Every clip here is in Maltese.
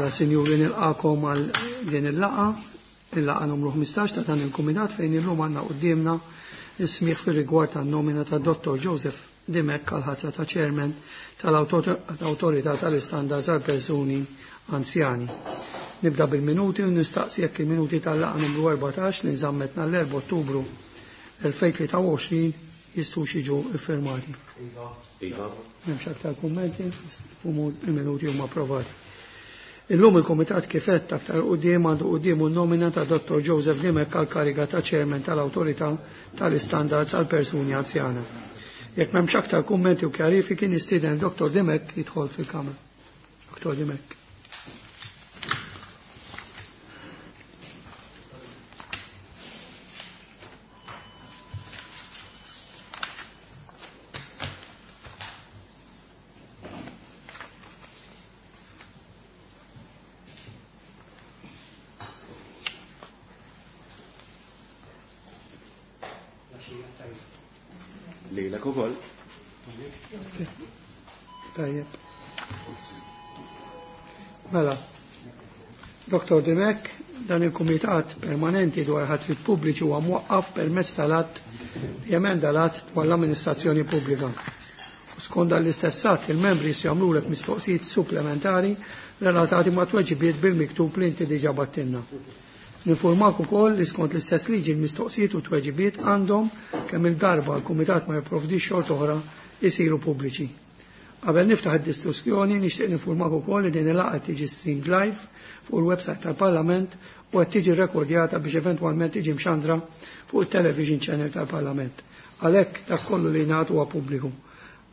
Mela, sinjuri, nilqakom għal din il-laqgħa, il-laqgħa numru 15 ta' dan il-kumitat fejn illum għandna quddiemna is-smigħ fir-rigward tan-nomina ta' Dottor Joseph Dimech għal ħatra ta' Chairman tal-Awtorità tal-Istandards għal Persuni Anzjani. Nibda bil-minuti u nistaqsi jekk il-minuti tal-laqgħa numru 14 li nżammet nhar l-4 Ottubru 2023 jistgħux jiġu iffirmati. Iva. Iva. M'hemmx aktar kummenti, il-minuti huma approvati. Illum il-Kumitat kif għedt aktar quddiem għandu quddiemu n-nomina ta' Dottor Joseph Dimech għal kariga ta' Chairman tal-Awtorità tal-Istandards għal Persuni Anzjana. Jekk m'hemmx aktar kummenti u kjarifiki nistieden Dottor Dimech jidħol fil-Kamra. Dottor Dimech. Lejlek ukoll. Tajjeb. Mela, Dr. Dimech, dan il-Kumitat Permanenti dwar ħatrit pubbliċi huwa mwaqqaf permezz tal-att li jemenda l-att dwar l-amministrazzjoni pubblika. U skont dan l-istess att, il-membri se jagħmlulek mistoqsijiet supplementari relatati ma' tweġibiet bil-miktub li inti diġà battilna. Ninformak ukoll li skont l-istess liġi l-mistoqsijiet u tweġibiet għandhom kemm il-darba l-Kumitat ma jipprovdix xorta oħra jisiru pubbliċi. Qabel niftaħ id-diskussjoni nixtieq ninformak ukoll li din il-laqgħa tiġi streamed live fuq il-website tal-Parlament u qed tiġi rekordjata biex eventwalment tiġi mxandra fuq it-television channel tal-Parlament. Għalhekk dak kollu li ngħad huwa pubbliku.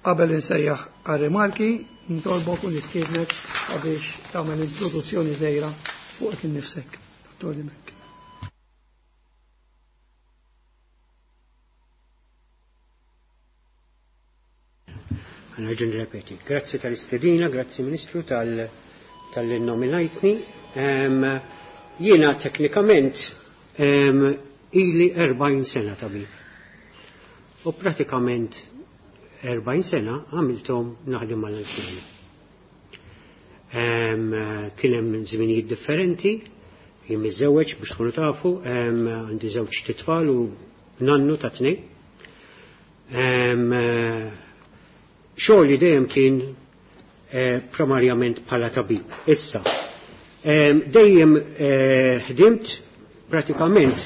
Qabel insejjaħ għar-rimarki, nitolbok u nistiednek sabiex tagħmel introduzzjoni żgħira fuq innifsek. Dottor Dimech. Nerġa' nirrepeti. Grazzi tal-istedina, grazzi Ministru tal-nominajtni. Jiena teknikament ili 40 sena tabib. U pratikament 40 sena għamilthom naħdem mal-anzjani. Kien hemm żminijiet differenti, jien miżżewweġ biex tkunu tafu, għandi żewġ titfal u nannu ta' tnejn. Xogħli dejjem kien primarjament bħala tabib. Issa, dejjem ħdimt pratikament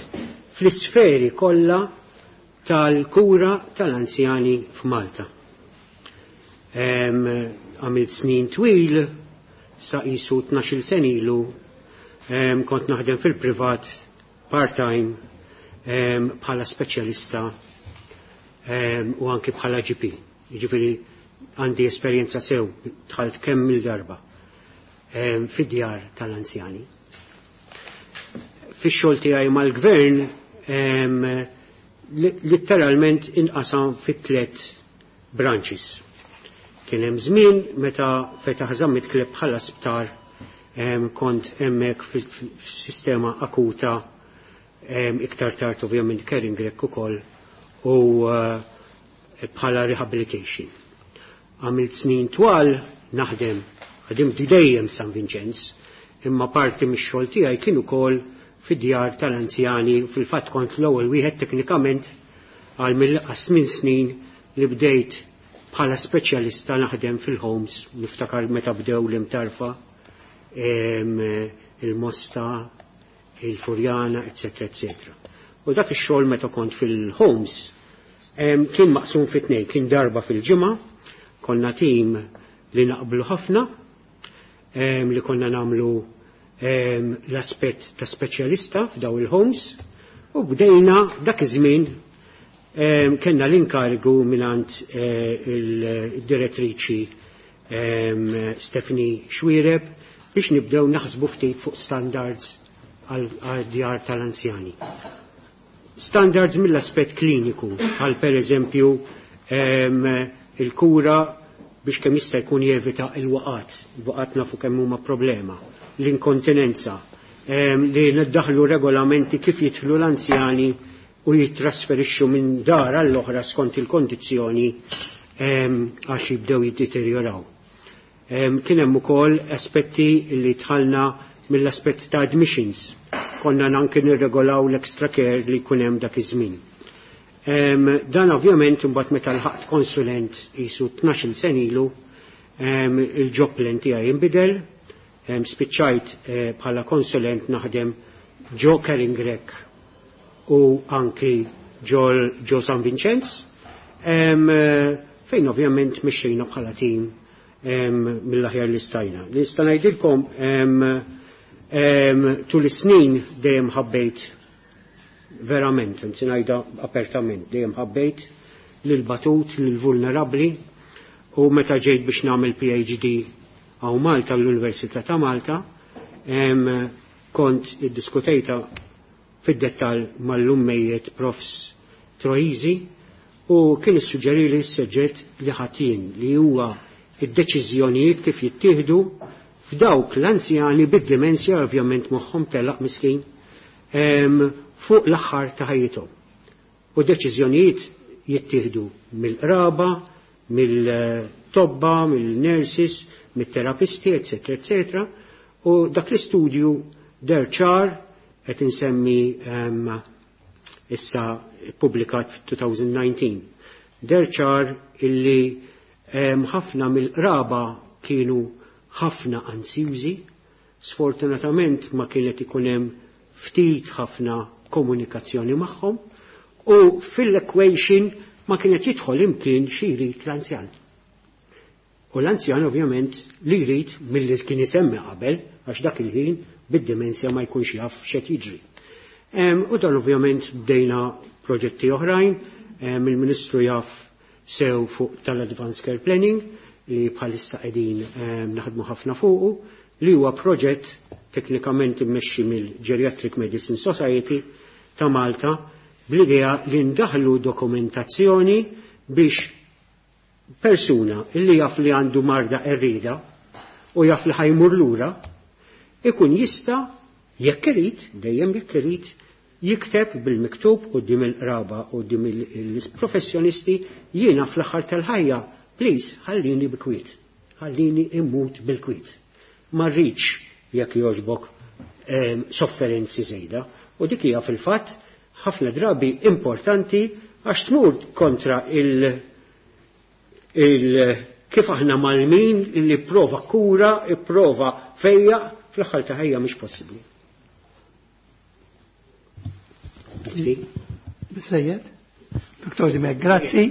fl-isferi kollha tal-kura tal-anzjani f'Malta. Għamilt snin twil, sa qisu tnax-il sen ilu, kont naħdem fil-privat part-time bħala speċjalista u anki bħala GP. Jiġifieri għandi esperjenza sew, dħalt kemm il-darba fid-djar tal-anzjani. Fix-xogħol tiegħi mal-gvern litteralment inqasam fit tliet branches. Kien hemm żmien meta fetaħ Zammit Kleb bħala sptar, kont hemmhekk fis-sistema akuta, iktar tard ovvjament Karen Grech ukoll u bħala rehabilitation. Għamilt snin twal naħdem, ħdimt dejjem San Vincenz, imma parti mix-xogħol tiegħi kien ukoll fid-djar tal-anzjani, fil-fatt kont l-ewwel wieħed teknikament għal mill-inqas minn snin li bdejt bħala speċjalista naħdem fil-homes, niftakar meta bdew l-Imtarfa, il-Mosta, il-Furjana, eccetera, eccetera. U dak ix-xogħol meta kont fil-homes kien maqsum fi tnejn, kien darba fil-ġimgħa, konna tim li naqblu ħafna, li konna nagħmlu l-aspett ta' speċjalista f'daw il-homes, u bdejna dak iż-żmien kellna l-inkarigu mingħand il-direttriċi Stephanie Xuereb biex nibdew naħsbu ftit fuq standards għal djar tal-anzjani. Standards mill-aspett kliniku, bħal per eżempju il-kura biex kemm jista' jkun jevita il-waqat, il-waqat nafu kemm huma problema, l-inkontinenza, li niddaħlu regolamenti kif jidħlu l-anzjani u jittrasferixxu minn dar għall-oħra skont il-kondizzjoni għax jibdew jiddeterjoraw. Kien hemm ukoll aspetti li dħalna mill-aspett ta' admissions. Konna anke nirregolaw l-extra care li jkun hemm dak iż-żmien. Dan ovvjament imbagħad meta lħaqt konsulent qisu 12 sena ilu, il-job plan tiegħi inbidel, spiċċajt bħala konsulent naħdem ġo Caring Grech u anki ġo San Vincenz, fejn ovvjament mexxejna bħala tim mill-aħjar li stajna. Li nista' ngħidilkom, tul is-snin dejjem ħabbejt verament, anzi ngħidha apertament, dejjem ħabbejt lil batut, lil vulnerabbli, u meta ġejt biex nagħmel PhD hawn Malta l-Università ta' Malta, kont iddiskutejta fid-dettall mal-lummejiet Profs Troisi u kien issuġġeri li s-suġġett li ħatin li huwa id-deċiżjonijiet kif jittieħdu f'dawk l-anzjani bid-dimensja, ovvjament moħħhom telaq miskin, fuq l-aħħar ta' ħajjithom. U deċiżjonijiet jittieħdu mill-qraba, mill-tobba, mill-nurses, mit-terapisti, eccetera, eccetera. U dak l-istudju deher ċar, qed insemmi issa publikat f-2019. Deher ċar illi ħafna mill-qraba kienu ħafna ansjużi, sfortunatament ma kienet ikun hemm ftit ħafna komunikazzjoni magħhom u fil-equation ma kienet jidħol imkien xi jrid l-anzjan. U l-anzjan ovvjament li jrid milli kien isemmi qabel, għax dak il-ħin bid-dimensja ma jkunx jaf x'qed jiġri. U dan ovvjament bdejna proġetti oħrajn, il-Ministru jaf sew fuq tal-Advanced Care Planning li bħalissa qegħdin naħdmu ħafna fuqu, li huwa proġett teknikament immexxi mill-Geriatric Medicine Society ta' Malta bl-idea li ndaħlu dokumentazzjoni biex persuna li jaf li għandu marda qerrieda u jaf li ħa jmur lura ikun jista', jekk irid, dejjem jekk irid, jikteb bil-miktub quddiem il-qraba, quddiem il-professjonisti: jiena fl-aħħar tal-ħajja, please, ħallini bi kwiet, ħallini immut bil-kwiet. Ma rridx, jekk jogħġbok, sofferenzi żejda. U dik hija fil-fatt ħafna drabi importanti għax tmur kontra il kif aħna mgħallmin li prova kura, prova fejja, fl-aħħar ta' ħajja mhix possibbli. Biżżejjed? Dr. Dimech, grazzi.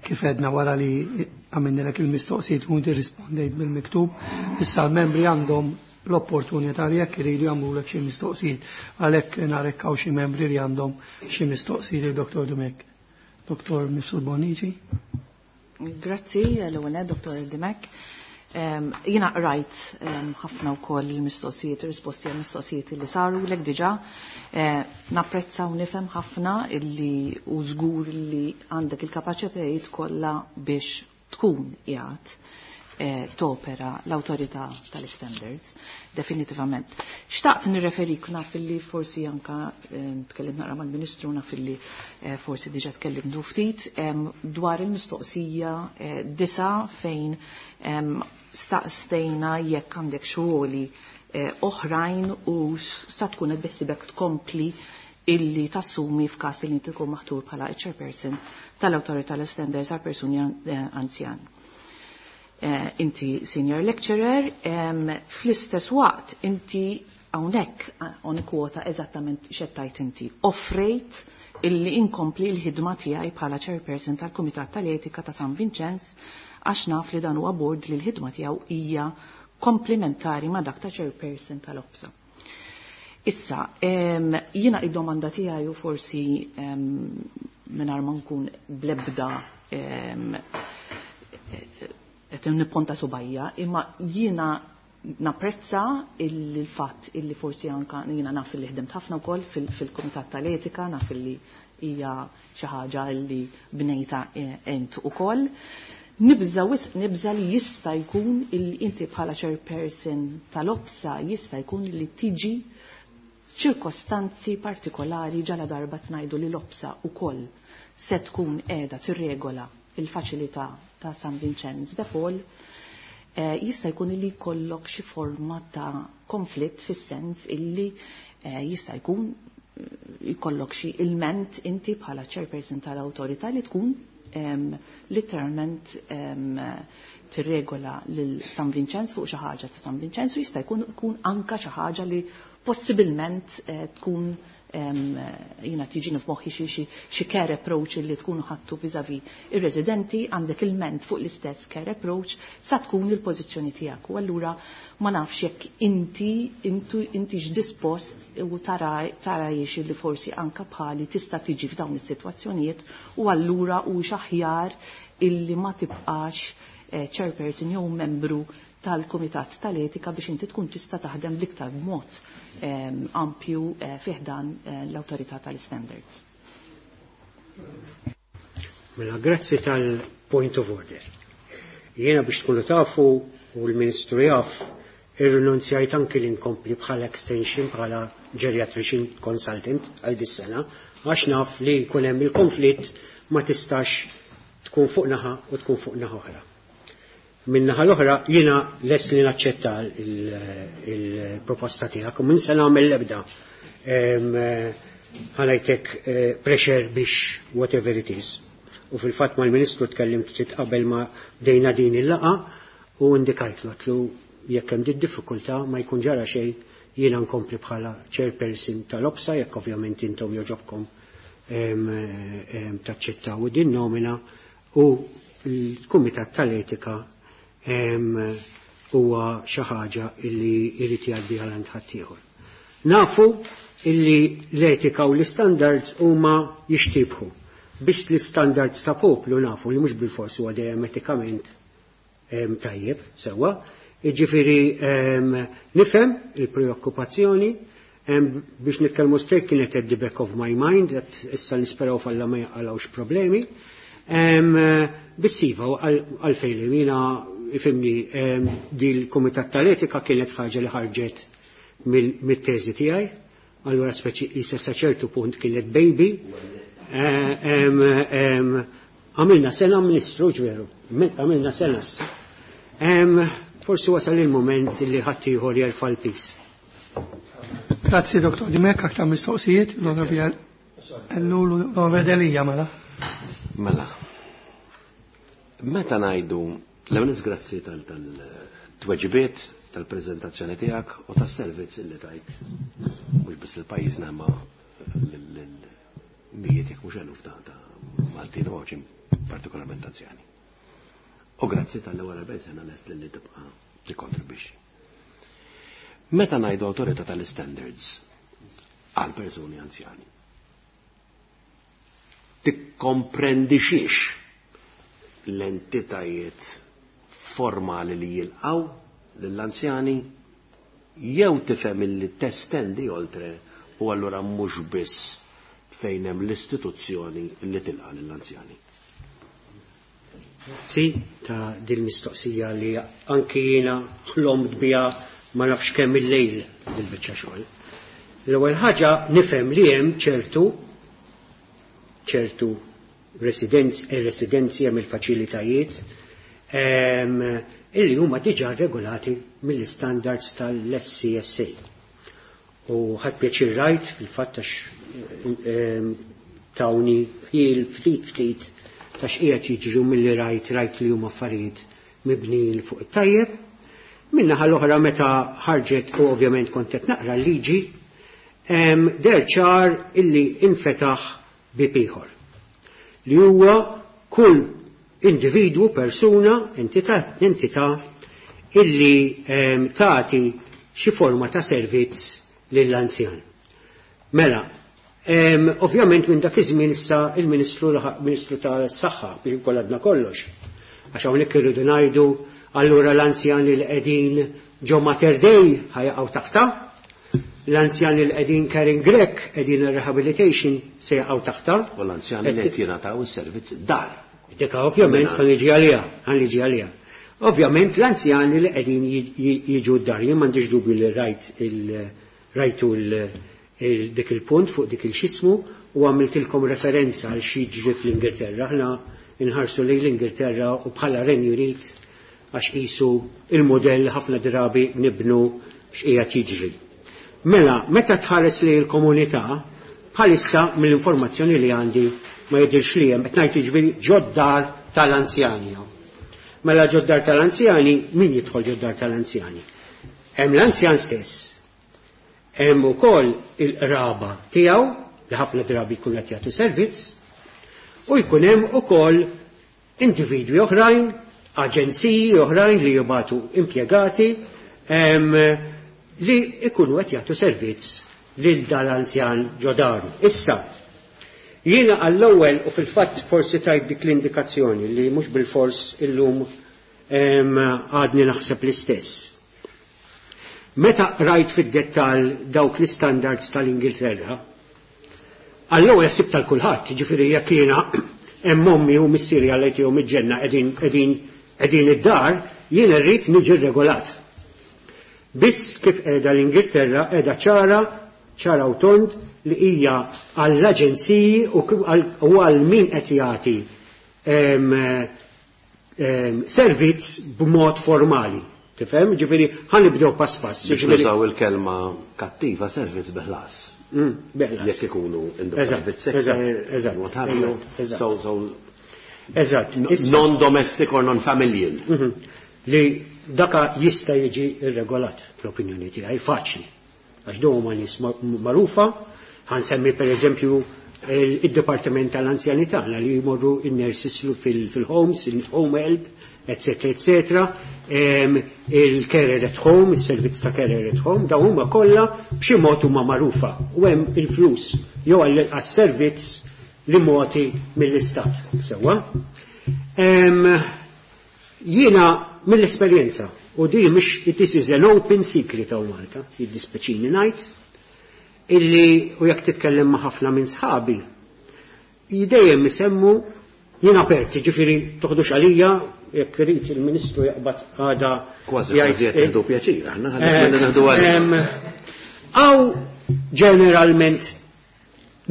Kif għedna, wara li għamilnilek il-mistoqsijiet u inti rispondejt bil-miktub, issa l-membri għandhom l-opportunità li jekk iridu jagħmlulek xi mistoqsijiet. Għalhekk narek hawn xi membri li għandhom xi mistoqsijiet lil Dr. Dimech. Dr. Mifsud Bonnici. Grazzi, l-ewwel, Dr. Dimech. Jiena rajt ħafna wkoll il-mistoqsijiet, il-risposti għal mistoqsijiet li saru lek diġà. Napprezza u nifhem ħafna illi u żgur li għandek il-kapaċitajiet kollha biex tkun qiegħed topera l-autorità tal-standards, definitivament. Xtaqt nirreferik, naf illi forsi anka tkellim naqra mal-Ministru, naf illi forsi diġa tkellimtu ftit dwar il-mistoqsija 9 fejn staqstejna jekk għandek xogħli oħrajn u sa tkun qed beħsibek tkompli illi tassumi f'każ li inti tkun maħtur bħala chairperson tal-Awtorità tal-Standards għal persuni anzjan. Inti senior lecturer, fl-istess waqt inti hawnhekk on kwota eżattament x'għedt inti. Offrejt illi inkompli l-ħidma tiegħi bħala chairperson tal-Kumitat tal-Etika ta' San Vincenz għax naf li dan huwa board li l-ħidma tiegħu hija komplementari ma' dak ta' chairperson tal-OPSA. Issa, jiena id-domanda tiegħi u forsi mingħajr ma nkun blebda qed nipponta subajja, imma jiena napprezza il-fatt illi forsi anka jiena naf li ħdimt ħafna wkoll fil-Kumitat tal-Etika, naf li hija xi ħaġa li bnejta ent ukoll. Nibża wisq, nibża li jista' jkun illi inti bħala chairperson tal-OPSA jista' jkun li tiġi ċirkostanzi partikolari ġala darba tnajdu li l-OPSA ukoll se tkun qiegħda tirregola. il-faċilità ta' San Vincenz de Paul, jista' jkun li jkollok xi forma ta' konflitt fis-sens illi jista' jkun jkollok xi ilment inti bħala chairperson tal-awtorità li tkun literalment tirregola lil San Vincenz fuq xi ħaġa ta' San Vincenz u jista' jkun tkun anka xi ħaġa li possibilment tkun jina tiġini f'moħħi xi care approach li tkun ħattu vis-à-vis ir-residenti, għandek ilment fuq l-istess care approach sa tkun il-pożizzjoni tiegħek. U allura ma nafx jekk inti intix dispost u tara jiex li forsi anka bħali tista' tiġi f'dawn is-sitwazzjonijiet u allura u x'aħjar illi ma tibqax chairperson jew membru tal-Kumitat tal-Etika biex inti tkun tista' taħdem l-iktar b'mod ampju fiħdan l-Awtorità tal-Standards. Mela, grazzi tal-point of order. Jiena biex tkunu tafu u l-Ministru jaf, irrinunzjajt anki li nkompli bħala extension, bħala geriatrician consultant għal dis-sena, għax naf li jkun hemm il-konflitt ma tistax tkun fuq naħa u tkun fuq naħa oħra. Min-naħa l-oħra jiena lest li naċċetta il-proposta tiegħek u minn se nagħmel l-ebda ħanajtek pressure biex whatever it is. U fil-fatt mal-Ministru tkellimt ftit qabel ma bdejna din il-laqa u indikajtlu għatlu jekk hemm din diffikultà ma jkun ġara xejn jiena nkompli bħala chairperson tal-OPSA jekk ovvjament intom joġobkom taċċettaw din nomina u l-Kumitat tal-Etika huwa xi ħaġa illi jrid jgħaddi għal għand ħaddieħor. Nafu illi l-etika u l-istandards huma jixtibħu. Biex l-istandards ta' poplu nafu li mhux bilfors huwa dejjem etikament tajjeb sewwa. Jiġifieri nifhem il-preokkupazzjoni biex nitkellmu straight kienet at the back of my mind, that issa nisperaw falla ma jaqalgħux problemi. Biss iva għalfejn li jiena ifimni di l-Kumitat tal-Etika kienet ħaġa li ħarġet mit-teżi tiegħi, allura speċi jisa sa ċertu punt kienet baby. Għamilna sena ministru ġveru, għamilna sena issa. Forsi wasal il-moment li ħaddieħor jerfa' l-pis. Grazzi Dr. Dimek, aktar mistoqsijiet, l-Onorevoli l-Onorevoli Delia mela. Mela. Meta ngħidu l-ewwel grazzi tal-tweġibiet, tal-preżentazzjoni tiegħek u tas-servizz illi tajt mhux biss il-pajjiżna ma l-mijiet jekk mhux eluf ta' Maltin u Għawdxin partikolarment anzjani. U grazzi tal-ewwel 40 sena lest li tibqa' tikkontribwixxi. Meta ngħidu awtorità tal-standards għal persuni anzjani, tikkomprendi xiex l-entitajiet formali li jilqaw lill-anzjani jew tifhem illi testendi oltre u allura mhux biss fejn hemm l-istituzzjoni li tilqa' lill-anzjani. Grazzi ta' din mistoqsija li anki jiena ħlomt biha ma nafx kemm il-lejl dil-biċċa xogħol. L-ewwel ħaġa nifhem li hemm ċertu residenzi hemm il-faċilitajiet illi huma diġà regolati mill-standards tal-SCSA. U ħadd pjaċir rajt fil-fatt għax tawni ħiel ftit ftit ta' x'qiegħed jiġru milli rajt li huma affarijiet mibnijin fuq it-tajjeb. Min-naħa l-oħra meta ħarġet u ovvjament kont qed naqra l-liġi, deher ċar illi infetaħ bieb ieħor. Li huwa kull individwu, persuna, entità illi tagħti xi forma ta' servizz lill-anzjan. Mela, ovvjament minn dak iż-żmien issa il-Ministru Ministru tas-Saħħa biex inkun għadna kollox. Għax hawnhekk irridu ngħidu allura l-anzjani li qegħdin ġo Mater Dei ħajaqgħu taħta, l-anzjani li qegħdin Caring Grech qegħdin rehabilitation se jaqgħu taħta. U l-anzjani li qed jingħataw is-servizz dar. Dika ovvjament ħa niġi għaliha, ħa niġi għaliha. Ovvjament l-anzjani li qegħdin jiġu d-dar, jien m'għandix dubju li rajt rajtu dik il-punt fuq dik il-xismu u għamiltilkom referenza għal xi jiġri fl-Ingilterra. Aħna inħarsu lejn l-Ingilterra u bħala Renju Unit għax qisu il-modell ħafna drabi nibnu x'qiegħed jiġri. Mela, meta tħares lejn il-komunità, bħalissa mill-informazzjoni li għandi ma jidhirx li hemm, qed ngħid jiġifieri ġod-dar tal-anzjani. Mela ġod-dar tal-anzjani, min jidħol ġod-dar tal-anzjani? Hemm l-anzjan stess. Hemm ukoll il-qraba tiegħu li ħafna drabi jkunu qed jagħtu servizz u jkun hemm ukoll individwi oħrajn, aġenziji oħrajn li jibagħtu impjegati li jkunu qed jagħtu servizz lil dal-anzjan ġo daru. Issa, jiena għall-ewwel u fil-fatt forsi tajt dik l-indikazzjoni li mhux bilfors illum għadni naħseb l-istess. Meta rajt fid-dettall dawk l-istandards tal-Ingilterra, għall-ewwel ħsibt tal kulħadd, jiġifieri jekk jiena hemm ommi u missieri Alla jtihom il-ġenna qegħdin qegħdin qegħdin id-dar, jiena rrid niġi regolat. Biss kif qiegħda l-Ingilterra qiegħda ċara, ċara u tond li hija għall-aġenziji u għal min qed jagħti servizz b'mod formali. Tifhem? Ġifieri ħa nibdew pass pass. Biex nużaw il-kelma kattiva servizz bi ħlas. Bi ħlas. Jekk ikunu in the private sector. Eżatt. Non-domestic or non-familial. Li daka jista' jiġi irregolat fl-opinjoni tiegħi faċli. Għax dawn huma nies magħrufa, ħa nsemmi pereżempju id-Dipartiment tal-Anzjani tagħna li jmorru in-nurses fil-homes, il-home help, eccetera, eccetera, il-carer at home, il-servizz ta' carer at home, dawn huma kollha b'xi mod huma magħrufa u hemm il-flus jew għas-servizz li mogħti mill-istat. Sewwa. Jiena mill-esperjenza u di mhix this is an open secret hawn Malta, jiddispeċini ngħid, illi u jekk titkellem ma' ħafna minn sħabi, dejjem isemmu jien aperti, ġifieri toħdux għalija, jekk irid il-Ministru jaqbad għada. Kważi kważi qed nieħdu pjaċir, aħna ħalli nieħdu għalija. Għaw ġeneralment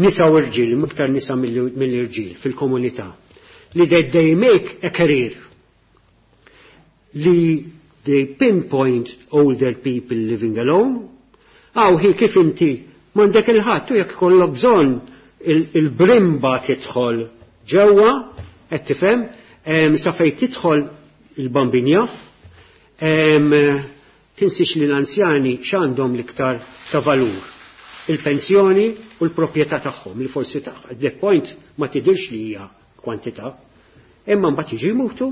nisa u rġiel, iktar nisa mill-irġiel fil-komunità, li they make a career li they pinpoint older people living alone, għaw hi kif inti m'għandek il-ħadd u jekk kollok bżonn il-brimba tidħol ġewwa, qed tifhem, sa fejn tidħol il-bambin jaf, tinsix li l-anzjani x'għandhom l-iktar ta' valur. Il-pensjoni u l-proprjetà tagħhom, li forsi ta' at that point ma tidirx li hija kwantità. Imma mbagħad jiġu jmutu,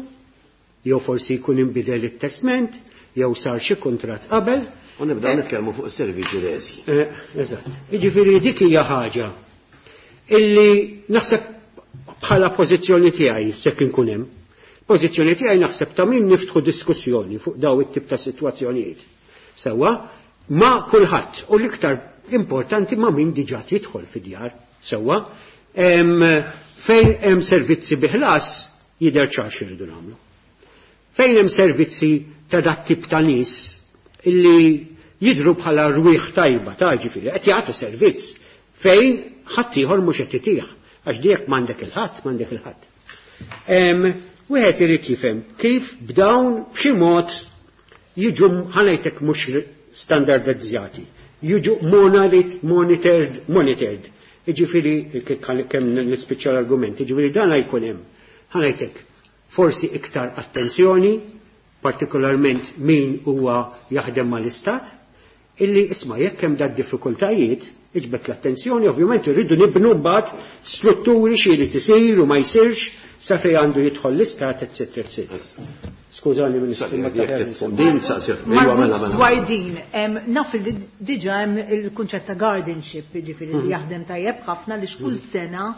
jew forsi jkun inbidel it-testment, jew sar xi kuntratt qabel. U nibdew nitkellmu fuq is-servizzi reżi. Eżatt. Jiġifieri dik hija ħaġa illi naħseb bħala pożizzjoni tiegħi sekk inkun hemm. Pożizzjoni tiegħi naħseb ta' min niftħu diskussjoni fuq daw it-tip ta' sitwazzjonijiet. Sewwa, ma' kulħadd u l-iktar importanti ma' min diġà jidħol fid-djar. Sewwa, fejn hemm servizzi bi ħlas jidher ċar x'irridu nagħmlu. Fejn hemm servizzi ta' dat tip ta' nies illi jidru bħala rwieħ tajba ta' ġifieri qed jagħtu servizz fejn ħadd ieħor mhux qed itih għax dik m'għandek il-ħadd, m'għandek il-ħadd. Wieħed irid jifhem kif b'dawn b'xi mod jiġu ħa ngħidlek mhux standardizzati, jiġu monitored, monitored. Jiġifieri kemm nispiċċa l-argument, jiġifieri dan jkun hemm. Ħa ngħidlek forsi iktar attenzjoni, partikolarment min huwa jaħdem mal-istat, illi isma' jekk hemm dak diffikultajiet, iġbed l-attenzjoni, ovvjament irridu nibnu mbagħad strutturi xi li tisir u ma jsirx sa fejn għandu jidħol l-istat, eccetera, eccetera. Skużani, Ministru, ma Din saqsir, iva, mela, mela. Dwar din, naf li diġa hemm il-kunċett ta' guardianship, jiġifieri li jaħdem tajjeb ħafna li xkull sena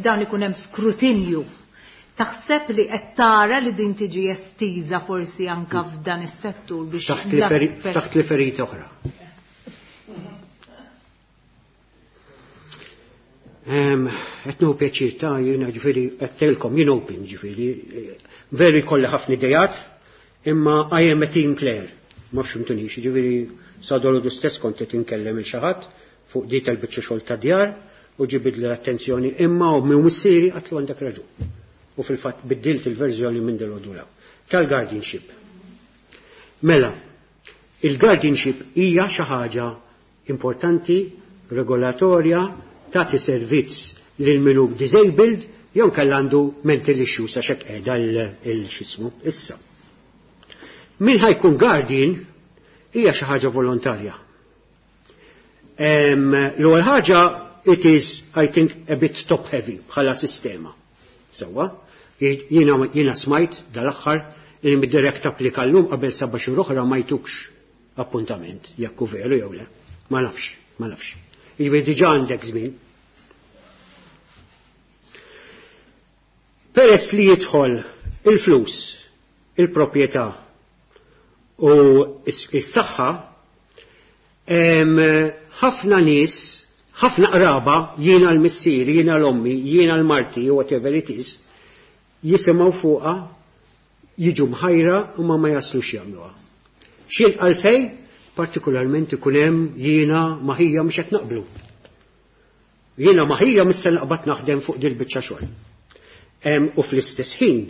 dan ikun hemm skrutinju. Taħseb li qed tara li din tiġi estiża forsi anka f'dan is-settur biex Ftaħt li ferita oħra. Qed nieħu pjaċir ta' jiena ġifieri qed tgħidilkom jien open ġifieri veru jkolli ħafna idejat, imma I am a team player. Ma fhimtunix, ġifieri sa dolodu stess kont qed inkellem il xi ħadd fuq di tal-biċċa xogħol ta' djar u ġibidli l-attenzjoni imma u missieri għatlu għandek raġun. U fil-fatt biddilt il-verżjoni minn dil Tal-guardianship. Mela, il-guardianship hija xi ħaġa importanti, regolatorja, tagħti servizz lil min hu disabled jew kellha għandu mental issues għax hekk qiegħda l-xismu issa. Min ħa jkun guardian hija xi ħaġa volontarja. L-ewwel ħaġa, it is, I think, a bit top heavy bħala sistema. Sewwa, jiena smajt dal-aħħar li mid-direct applika llum qabel 7 xhur oħra ma jtukx appuntament, jekk hu veru jew le. Ma nafx, ma nafx. Jiġifieri diġà għandek żmien. Peress li jidħol il-flus, il-proprjetà u s-saħħa, ħafna nies, ħafna qraba, jiena l-missieri, jiena l-ommi, jiena l-marti, whatever it is, jisimgħu fuqha, jiġu mħajra u ma jaslux jagħmluha. X'jien għalfej, partikolarment ikun hemm jiena ma' ħija mhux qed naqblu. Jiena ma' ħija mhux se naqbad naħdem fuq dil-biċċa xogħol. U fl-istess ħin,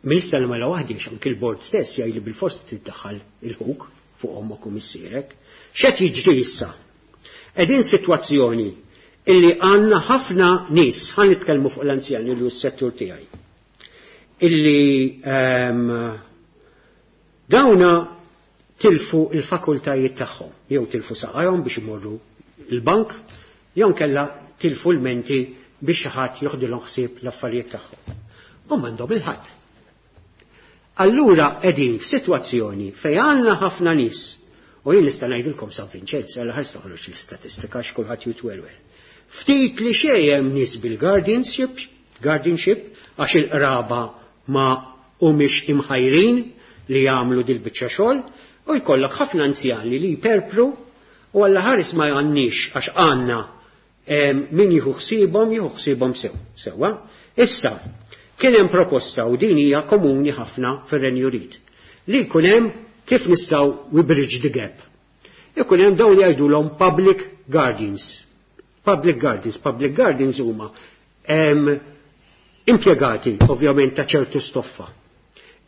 minn issa mela waħdi, anki l-bord stess jgħid li bil-fors tiddaħħal il-ħuk fuq ommok u missierek. X'qed jiġri issa? Qegħdin sitwazzjoni illi għandna ħafna nies, ħa nitkellmu fuq l-anzjani li hu s-settur tiegħi, illi dawna tilfu il-fakultajiet tagħhom, jew tilfu saqajhom biex imorru il-bank, jew kella tilfu l-menti biex xi ħadd joħdilhom ħsieb l-affarijiet tagħhom. U m'għandhom il-ħadd. Allura qegħdin f'sitwazzjoni fejn għandna ħafna nies, u jien nista' ngħidilkom San Vinċenz għal ħares toħroġ l-istatistika x'kulħadd jitwerwer. Ftit li xejn hemm nies bil-guardianship, guardianship għax il-qraba ma humiex imħajrin li jagħmlu dil-biċċa xogħol, u jkollok ħafna anzjani li jperpru u għalla ħares ma għandniex għax għandna min jieħu ħsiebhom, jieħu ħsiebhom sew. Sewwa. Issa, kien hemm proposta u din hija komuni ħafna fir-Renju Unit li jkun hemm kif nistgħu we bridge the gap. Ikun hemm dawn li jgħidulhom public guardians. Public guardians, public guardians huma impjegati ovvjament ta' ċertu stoffa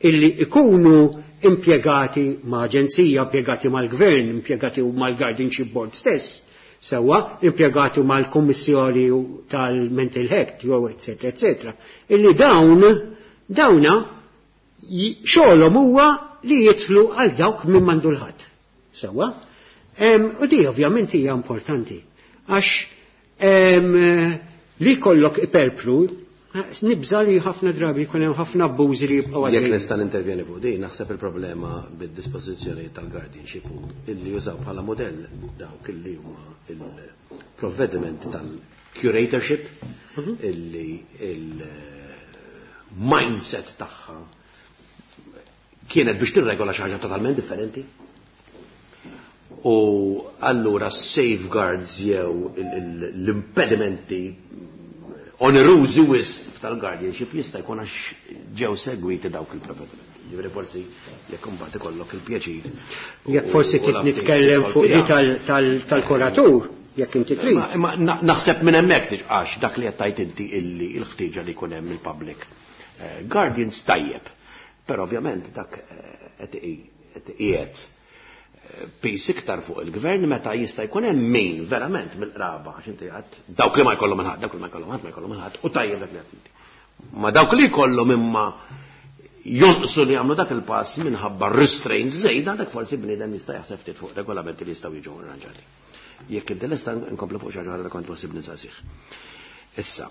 illi ikunu impjegati ma' aġenzija, impjegati mal-gvern, impjegati mal-guardianship board stess, sewwa, impjegati mal-kommissjoni tal-mental health, jew eccetera, eccetera. Illi dawna xogħolhom huwa li jidħlu għal dawk minn m'għandu l-ħadd. Sewwa? U di ovvjament hija importanti. Għax li kollok iperpru, nibża li ħafna drabi jkun hemm ħafna abbużi li jibqgħu Jekk nista' nintervjeni fuq din, naħseb il-problema bid-dispożizzjoni tal-guardianship hu illi jużaw bħala modell dawk illi huma il-provvedimenti tal-curatorship illi il-mindset tagħha kienet biex tirregola xi ħaġa totalment differenti. U allura safeguards jew l-impedimenti onerużi wisq tal-guardianship jista' jkun għax ġew segwiti dawk il-provvedimenti. Ġifieri forsi jekk imbagħad ikollok il-pjaċir. Jekk forsi trid nitkellem fuq di tal-kuratur, jekk inti trid. Ma naħseb minn hemmhekk għax dak li qed tgħid inti illi l-ħtieġa li jkun hemm il-public guardians tajjeb. Però ovvjament dak qed qiegħed piż iktar fuq il-gvern meta jista' jkun hemm min verament mill-qraba għax inti għad dawk li ma jkollhom il-ħadd, dawk li ma jkollhom ħadd ma jkollhom il-ħadd u tajjeb dak li qed inti. Ma dawk li jkollhom imma jonqsu li jagħmlu dak il-pass minħabba restraints żejda, dak forsi bniedem jista' jaħseb ftit fuq regolamenti li jistgħu jiġu arranġati. Jekk inti lesta nkomplu fuq xi ħaġa li kont possibbli nsaqsih. Issa,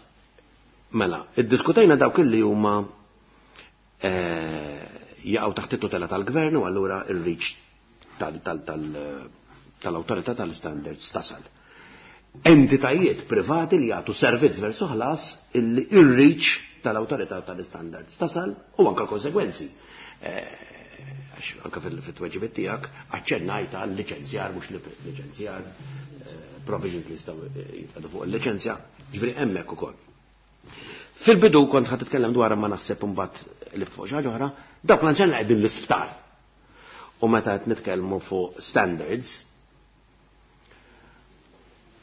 mela, iddiskutejna dawk li huma jaqgħu taħt it-tutela tal-gvern u allura ir-reach tal-awtorità tal-standards tasal. Entitajiet privati li jagħtu servizz versu ħlas illi ir-reach tal-awtorità tal-standards tasal u anka konsegwenzi. Għax anka fil-tweġibiet tiegħek aċċennajt għal liċenzjar mhux liċenzjar, provisions li jistgħu jitqegħdu fuq il-liċenzja, ġifieri hemmhekk ukoll. Fil-bidu kont ħa titkellem dwar ma naħseb imbagħad li fuq xi ħaġa oħra, dawk l-anzjani qegħdin l-isptar. U meta qed nitkellmu fuq standards,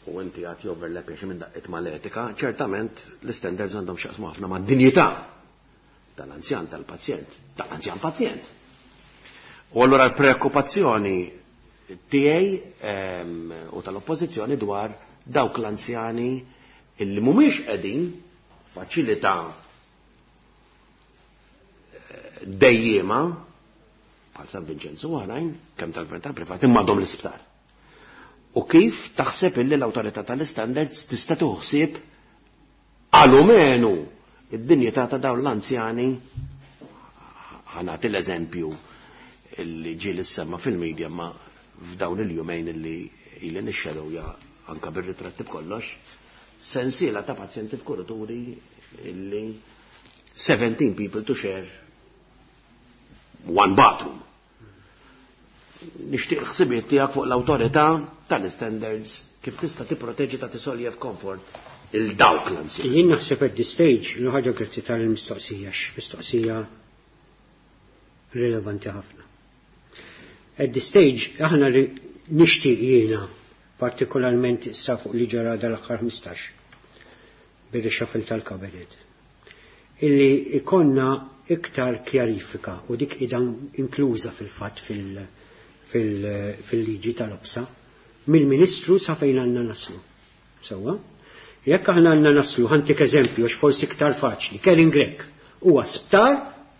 u inti għat joverlap xi minn daqqiet mal-etika, ċertament l-standards għandhom x'jaqsmu ħafna mad-dinjità tal-anzjan tal-pazjent, tal-anzjan pazjent. U allura l-preokkupazzjoni tiegħi u tal-oppożizzjoni dwar dawk l-anzjani illi mhumiex qegħdin faċilità dejjema bħal San Vincenzo u oħrajn, kemm tal-gvern tal-privat, imma għadhom l-isptar. U kif taħseb illi l-awtorità tal-standards tista' tieħu ħsieb alumenu id-dinjità ta' dawn l-anzjani? Ħa nagħti l-eżempju illi ġie li semma fil-media ma f'dawn il-jumejn illi ili nixxedowja anka bir-ritratti b'kollox, sensiela ta' pazjenti f'kurituri illi 17 people to share one bathroom. Nixtieq ħsibiet tiegħek fuq l-awtorità tal-standards kif tista' tipproteġi ta' tisoljev comfort il-dawk l-anzjani. Jien naħseb at this stage, l ħaġa, grazzi tal-mistoqsija, mistoqsija rilevanti ħafna. At this stage, aħna nixtieq jiena partikolarment issa fuq li ġara dal-aħħar 15 bir-reshuffle tal-kabinet, illi ikonna iktar kjarifika u dik idan inkluża fil-fatt fil-liġi tal-OPSA mill-Ministru sa fejn għandna naslu. Sewwa? Jekk aħna għandna naslu, ħa ntik eżempju, għax forsi iktar faċli, Karin Grech huwa sptar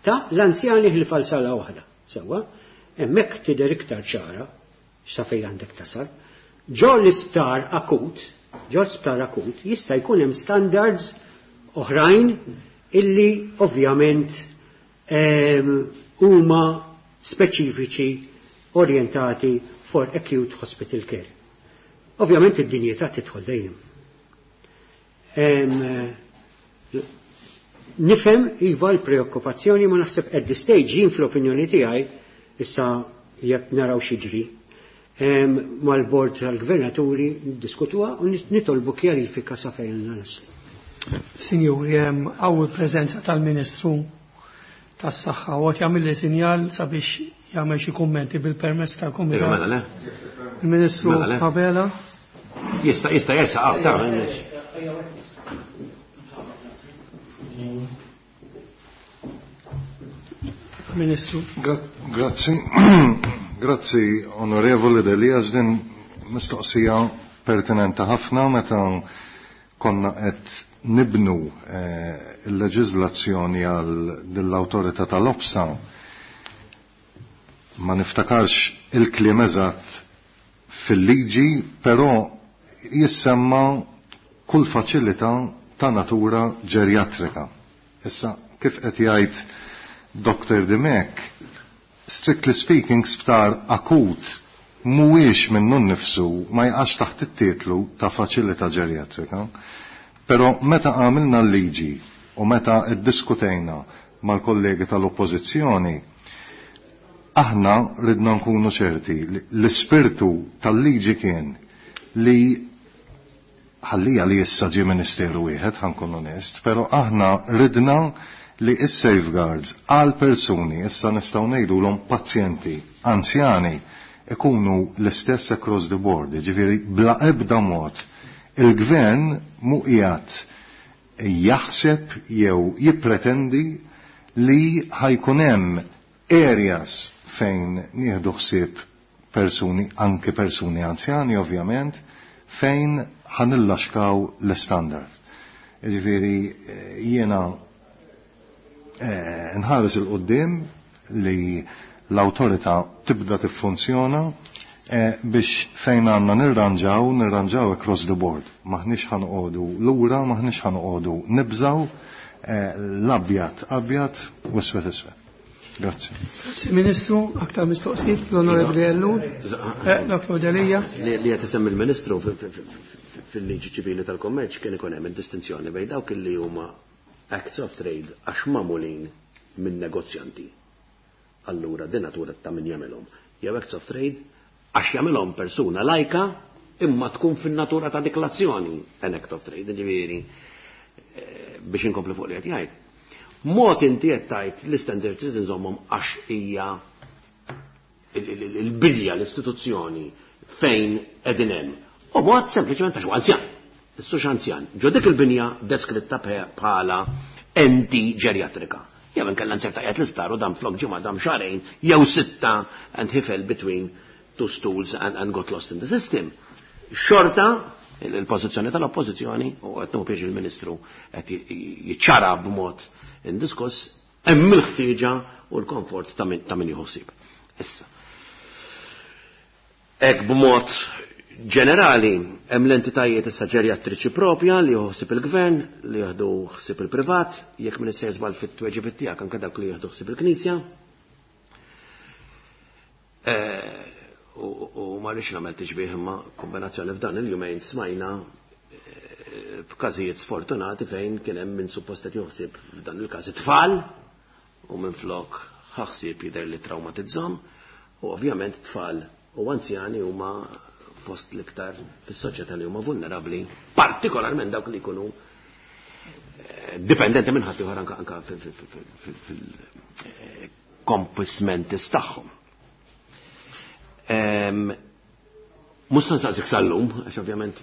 ta' l-anzjani ħlief sala waħda. Sewwa? Hemmhekk tidher iktar ċara sa fejn għandek tasal. Ġo l-isptar akut, ġo l-isptar akut jista' jkun hemm standards oħrajn illi ovvjament huma speċifiċi orientati for acute hospital care. Ovvjament id-dinjità tidħol dejjem. Nifhem iva l-preokkupazzjoni, ma naħseb at this stage jien fl-opinjoni tiegħi issa jekk naraw x'jiġri mal-bord tal-gvernaturi niddiskutuha u nitolbu kjarifika sa fejn naslu. Sinjuri, hemm hawn il-preżenza tal-Ministru tas-Saħħa u qed jagħmel li sinjal sabiex jagħmel xi kummenti bil-permess tal-Kumitat. Mela le. Il-Ministru Mela le. Abela. Jista' jersaq aktar. Ministru. Grazzi. Grazzi, Onorevoli Delia, din mistoqsija pertinenti ħafna. Meta konna qed nibnu il-leġiżlazzjoni għal dell-awtorità tal-OPSA, ma niftakarx il-kliem eżatt fil-liġi, però jissemma kull faċilità ta' natura ġerjatrika. Issa, kif qed jgħid Dr. Dimech, strictly speaking, sptar akut mhuwiex minnu nnifsu ma jaqax taħt it-titlu ta' faċilità ġerjatrika. Però meta għamilna l-liġi u meta iddiskutejna mal-kollegi tal-oppożizzjoni, aħna ridna nkunu ċerti li l-ispirtu tal-liġi kien li ħallija li issa ġie ministeru wieħed, ħa nkun onest, però aħna ridna li is-safeguards għal persuni, issa nistgħu ngħidulhom pazjenti anzjani, ikunu l-istess across the board, ġifieri bla ebda mod il-gvern mu qiegħed jaħseb jew jippretendi li ħajkun hemm areas fejn nieħdu ħsieb persuni, anke persuni anzjani ovvjament, fejn ħanillaxkaw l-standard. Ġifieri jiena nħares il-qoddim li l-awtorità tibda tiffunzjona biex fejn għandna nirranġaw, nirranġaw across the board. Maħniex ħanqodu lura, maħniex ħanqodu nibżaw, l-abjad abjad u iswed iswed. Grazzi. Grazzi Ministru, aktar mistoqsijiet l-Onorevoli Ellul, Dr. Delia. Li qed isemmi il-Ministru, fil-liġi ċivili tal-kommerċ kien ikun hemm id-distinzjoni bejn dawk li huma acts of trade għax magħmulin minn negozjanti. Allura din natura ta' min jagħmilhom. Jew acts of trade għax jagħmilhom persuna lajka imma tkun fin-natura ta' dik l-azzjoni an act of trade, ġifieri biex inkompli fuq li qed jgħid. Mod inti qed tgħid l-standards trid inżommhom għax hija il-bilja l-istituzzjoni fejn qegħdin hemm. U mod sempliċement għax huwa anzjan. Issux anzjan. Ġo dik il-binja deskritta bħala enti ġerjatrika. Jew inkella nserta qiegħed l-isptar u dam flok ġimgħa dam xahrejn jew sitta and he fell between two stools and got lost in the system. Xorta il-pożizzjoni tal-oppożizzjoni u qed nieħu pjaċir il-Ministru qed jiċċara b'mod indiskuss hemm il-ħtieġa u l-komfort ta' min jieħu ħsieb. Issa. Hekk b'mod ġenerali hemm l-entitajiet issa ġerjatriċi propja li jieħu ħsieb il-gvern, li jieħdu ħsieb il-privat, jekk min issejjer żball fit-tweġibiet tiegħek anke dawk li jieħdu ħsieb il-Knisja. Eh, u ma rridx nagħmel tixbih imma kombinazzjoni f'dan il-jumejn smajna eh, b'każijiet sfortunati fejn kien hemm min suppost qed joħsib f'dan il-każ it-tfal u minflok ħa ħsieb jidher li trawmatizzhom u ovvjament tfal u anzjani huma fost l-iktar fis-soċjetà li huma vulnerabbli, partikolarment dawk li jkunu eh, dipendenti minn ħadd ieħor anke anke fil-compos mentis tagħhom. Mhux se nsaqsik sal-lum, għax ovvjament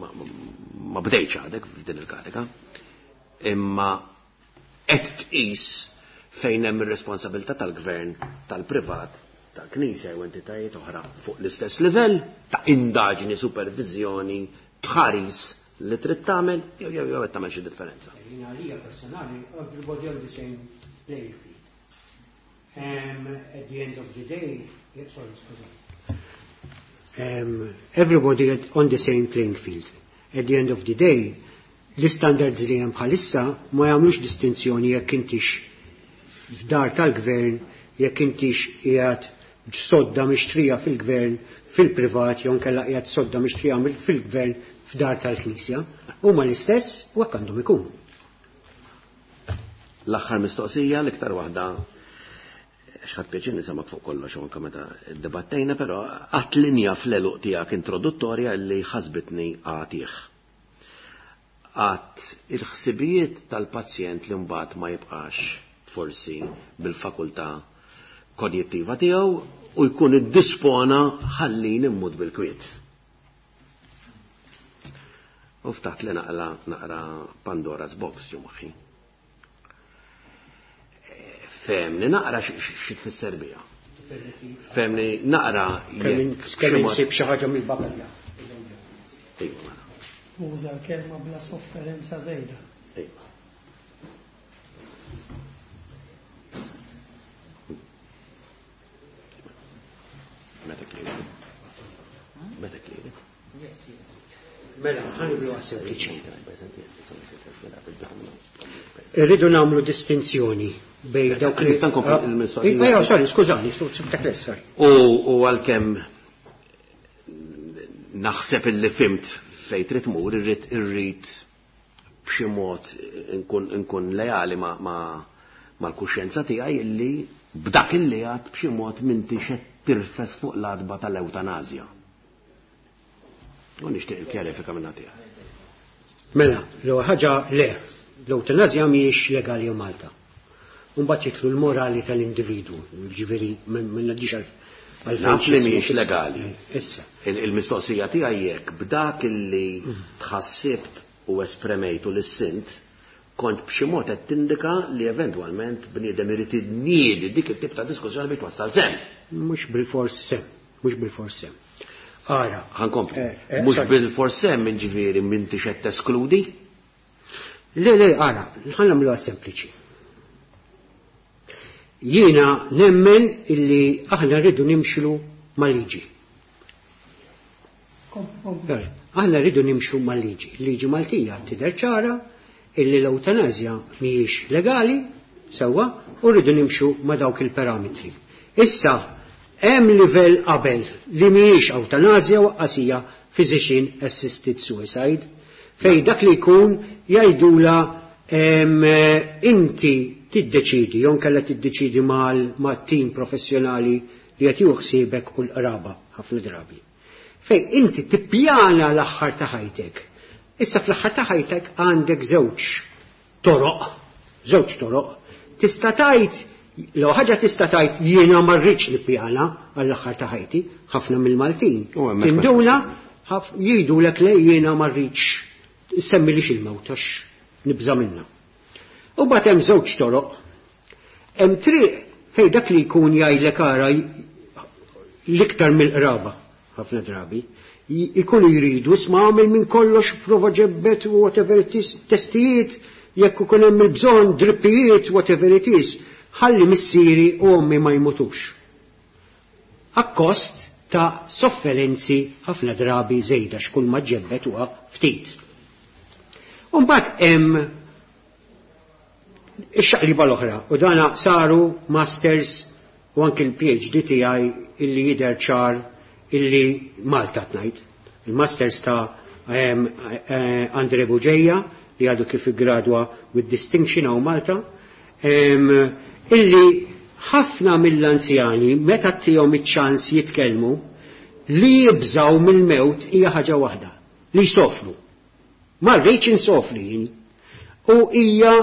ma bdejtx għadek f'din il-kariga, imma qed tqis fejn hemm ir-responsabilità tal-gvern, tal-privat, tal-Knisja jew entitajiet oħra fuq l-istess livell ta' indaġni, superviżjoni, tħaris li trid tagħmel jew jew jew qed tagħmel xi differenza. Jien għalija personali, everybody on the same playing field. At the end of the day, yeah, sorry, sorry. Everybody on the same playing field. At the end of the day, l-istandards li hemm bħalissa ma jagħmlux distinzjoni jekk intix f'dar tal-gvern, jekk intix qiegħed sodda mixtrija fil-gvern fil-privat jew inkella qiegħed sodda mixtrija fil-gvern f'dar tal-Knisja. Huma l-istess u hekk għandhom ikunu. L-aħħar mistoqsija, l-iktar waħda x'ħadd pjaċir nisimgħek fuq kollox u anke meta ddibattejna, però għadt linja fl-għeluq tiegħek introduttorja li ħasbitni għatih. Għadt il-ħsibijiet tal-pazjent li mbagħad ma jibqax forsi bil-fakultà konjittiva tiegħu u jkun iddispona ħallini mmut bil-kwiet. U ftaħt li naqla naqra Pandora's box ġo moħħi. Femni naqra xi tfisser biha. Femni naqra kemm insib xi ħaġa mill-bakalja. Iva. Uża l-kelma bla sofferenza żejda. Iva. Meta kliet? Meta kliet? Mela, ħaniblu sempliċi. Irridu nagħmlu distinzjoni bej dawk li. Nista' nkompli il-mistoqsija? Ejja, sorry, skużani, sibtek sorry. U għalkemm naħseb illi fimt fejn trid tmur, irrid irrid b'xi mod nkun nkun leali ma' mal-kuxjenza tiegħi illi b'dak illi għad b'xi mod m'intix qed tirfes fuq l-għatba tal-ewtanasja. U nixtieq il-kjarifika minna tiegħek. Mela, l-ewwel ħaġa le, l-ewtanasja mhijiex legali Malta. Mbagħad jidħlu l-morali tal-individwu, ġifieri ma ngħaddix għal Naf li mhijiex legali. Issa. Il-mistoqsija tiegħi jekk b'dak illi tħassibt u espremejt u lissint kont b'xi mod qed tindika li eventwalment bniedem irid iniedi dik it-tip ta' diskussjoni biex twassal sehem. Mhux bilfors sehem, mhux bilfors sehem. Ara. Ħa nkompli. Mhux bilfors sehem jiġifieri m'intix qed teskludi? Le, le, ara, ħa nagħmluha sempliċi. Jiena nemmen illi aħna rridu nimxu mal-liġi. Aħna rridu nimxu mal-liġi. Liġi Maltija tidher ċara illi l-eutanazja mhijiex legali, sewwa, u rridu nimxu ma' dawk il-parametri. Issa, hemm livell qabel li mhijiex eutanazja u qasija physician assisted suicide, fej dak li jkun jgħidula inti tiddeċidi, jew inkella tiddeċidi mal-tim professjonali li qed jieħu ħsiebek u l-qraba ħafna drabi. Fej inti tippjana l-aħħar ta' ħajtek. Issa fl-aħħar ta' ħajtek għandek żewġ toroq, żewġ toroq. Tista' tgħid, l ħaġa tista' tgħid jiena ma rridx nippjana għall-aħħar ta' ħajti, ħafna mill-Maltin. U hemmhekk Tinduna Jgħidulek le, jiena ma rridx semmilix il-mewt għax nibża' minnha. U mbagħad hemm żewġ toroq. Hemm triq fejn dak li jkun jgħidlek ara, l-iktar mill-qraba ħafna drabi, ikunu jridu, isma', għamel minn kollox, prova ġebbet u whatever it is, testijiet, jekk ikun hemm il-bżonn, drippijiet, whatever it is, ħalli missieri u ommi ma jmutux. Akkost ta' sofferenzi ħafna drabi żejda, x'kull ma ġebbet huwa ftit. Umbagħad hemm ix-xaqliba l-oħra, u dana saru masters u anki l-PhD tiegħi illi jidher ċar illi Malta tnajt. Il-masters ta' Andre Bugeja li għadu kif gradwa with distinction hawn Malta, illi ħafna mill-anzjani meta ttihom iċ-ċans jitkellmu, li jibżaw mill-mewt hija ħaġa waħda, li jsofru. Ma rridx insofri jien. U hija,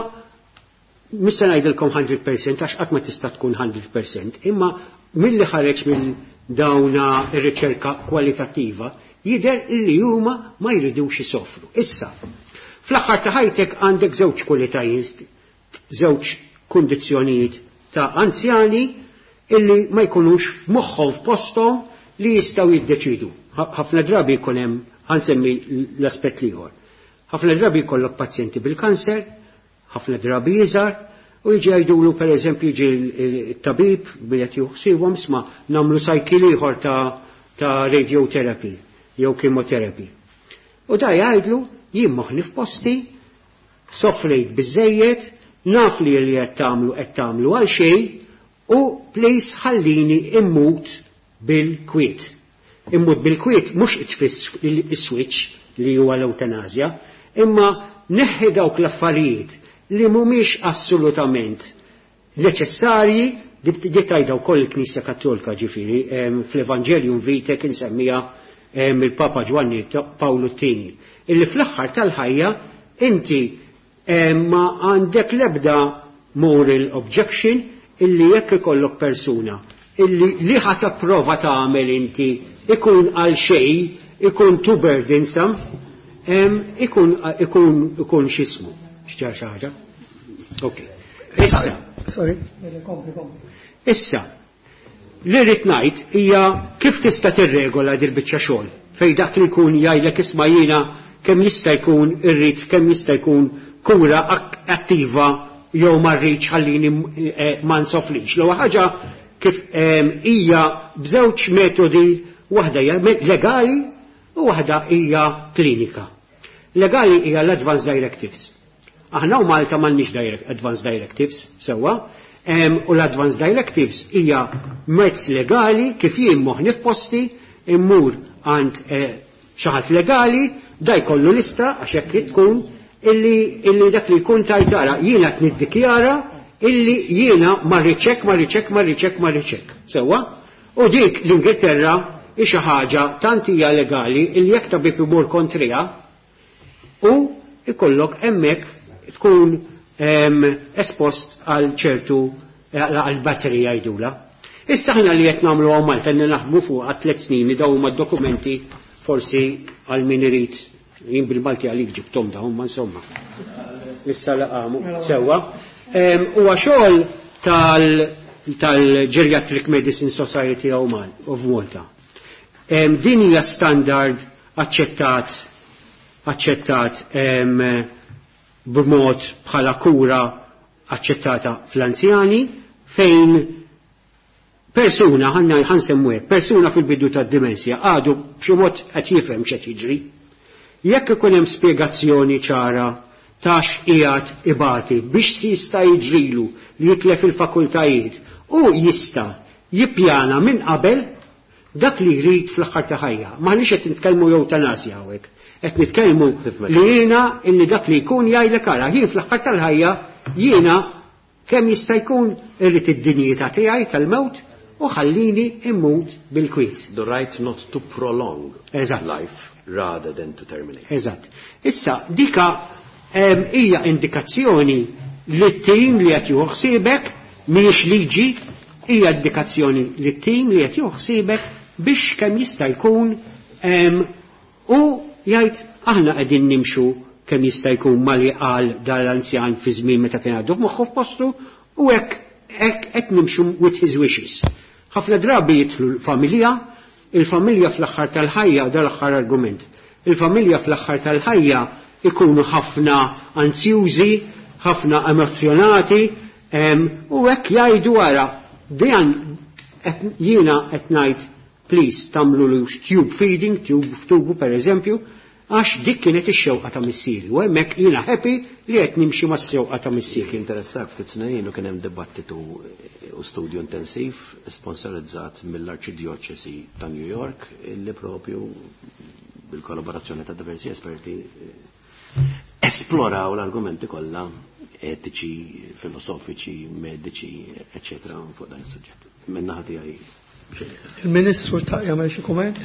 mhux se ngħidilkom 100% għax qatt ma tista' tkun 100%, imma milli ħareġ mill dawna ir-riċerka kwalitattiva jidher illi huma ma jridux isofru. Issa, fl-aħħar ta' ħajtek għandek żewġ kwalitajiet, żewġ kundizzjonijiet ta' anzjani illi ma jkunux f'moħħhom f'posthom li jistgħu jiddeċidu. Ħafna drabi jkun hemm, ħa nsemmi l-aspett l-ieħor. Ħafna drabi jkollok pazjenti bil-kanser, ħafna drabi iżgħar, u jiġi jgħidulu, pereżempju, jiġi il-tabib billi juħsibhom, isma', nagħmlu cycle ieħor ta' radiotherapy jew chemotherapy. U da jgħidlu, jien moħħni f'posti, sofrejt biżejjed, naf li li qed tagħmlu qed tagħmlu għal xejn u please ħallini immut bil-kwiet. Immut bil-kwiet mhux itfis il-switch li huwa l-eutanazja, imma neħħi dawk l-affarijiet li mhumiex assolutament neċessarji. Di tgħidha wkoll il-Knisja Kattolika, ġifieri fl-Evangelium Vitae kien semmija il-Papa Ġwanni Pawlu t-Tieni, illi fl-aħħar tal-ħajja inti ma għandek lebda moral objection illi jekk ikollok persuna illi li ħa prova tagħmel inti ikun għal xejn, ikun too burdensome, ikun x'ismu. X'ġar xi ħaġa? Ok. Issa. Sorry, kompli, kompli. Issa, li rrid ngħid hija kif tista' tirregola dil biċċa xogħol fejn dak li jkun jgħidlek, isma', jiena kemm jista' jkun irrid kemm jista' jkun kura attiva jew ma rridx, ħallini ma nsofrix. L-ewwel ħaġa kif hija b'żewġ metodi, waħda hija legali u waħda hija klinika. Legali hija l-Advance Directives. Aħna u Malta m'għandniex Advance Directives, sewwa, u l-Advance Directives hija mezz legali kif jien moħni f'posti immur għand xi ħadd legali, da jkollu lista, għax hekk tkun illi dak li jkun tajtara jiena qed niddikjara illi jiena ma rridx, ma rridx, ma rridx, ma rridx. Sewwa? U dik l-Ingilterra hi xi ħaġa tant hija legali illi jekk tabib imur kontriha u ikollok hemmhekk tkun espost għal ċertu għal batterija jgħidula. Issa ħna li qed nagħmlu hawn Malta li naħdmu fuq għal 3 snin, dawn huma dokumenti, forsi għal min irid, jien bil-Malti għalik ġibtom dawn, ma insomma. Issa laqamu sewwa. Huwa xogħol tal-Geriatric Medicine Society of Malta. Din hija standard aċċettat b'mod bħala kura aċċettata fl-anzjani fejn persuna, ħanna ħansemmu hekk, persuna fil-bidu tad-dimensja għadu b'xi mod qed jifhem x'qed jiġri. Jekk ikun hemm spjegazzjoni ċara ta' x'qiegħed ibati, biex si jista' jiġrilu li jitlef il-fakultajiet, u jista' jippjana minn qabel dak li jrid fl-aħħar ta' ħajja. M'aħniex qed nitkellmu eutanasja hawnhekk. Qed nitkellmu li jiena illi dak li jkun jgħidlek, ara, jien fl-aħħar tal-ħajja jiena kemm jista' jkun irrid id-dinjità tiegħi tal-mewt u ħallini immut bil-kwiet. The right not to prolong life rather than to terminate. Eżatt. Issa, dika hija indikazzjoni li t-tim li qed jieħu ħsiebek, mhijiex liġi, hija indikazzjoni li t-tim li qed jieħu ħsiebek biex kemm jista' jkun. U jgħid aħna qegħdin nimxu kemm jista' jkun mali qal dal-anzjan fi żmien meta kien għadu moħħu f'postu u hekk hekk qed nimxu with his wishes. Ħafna drabi jidħlu l-familja, il-familja fl-aħħar tal-ħajja, dal-aħħar argument. Il-familja fl-aħħar tal-ħajja ikunu ħafna anzjużi, ħafna emozjonati, u hekk jgħidu wara, dan jiena qed ngħid please tagħmlu tube feeding, tube tubu per eżempju, għax dik kienet ix-xewqa ta' missieri. U hemmhekk jiena happy li qed nimxi mas-xewqa ta' missieri. Jekk interessak ftit snin u kien hemm dibattitu u studju intensiv sponsorizzat mill-Arċidjoċesi ta' New York illi propju bil-kollaborazzjoni ta' diversi esperti esploraw l-argumenti kollha etiċi, filosofiċi, mediċi, eccetera, fuq dan is-suġġett. Min-naħa tiegħi. Il-Ministru ta' jagħmel xi kumment?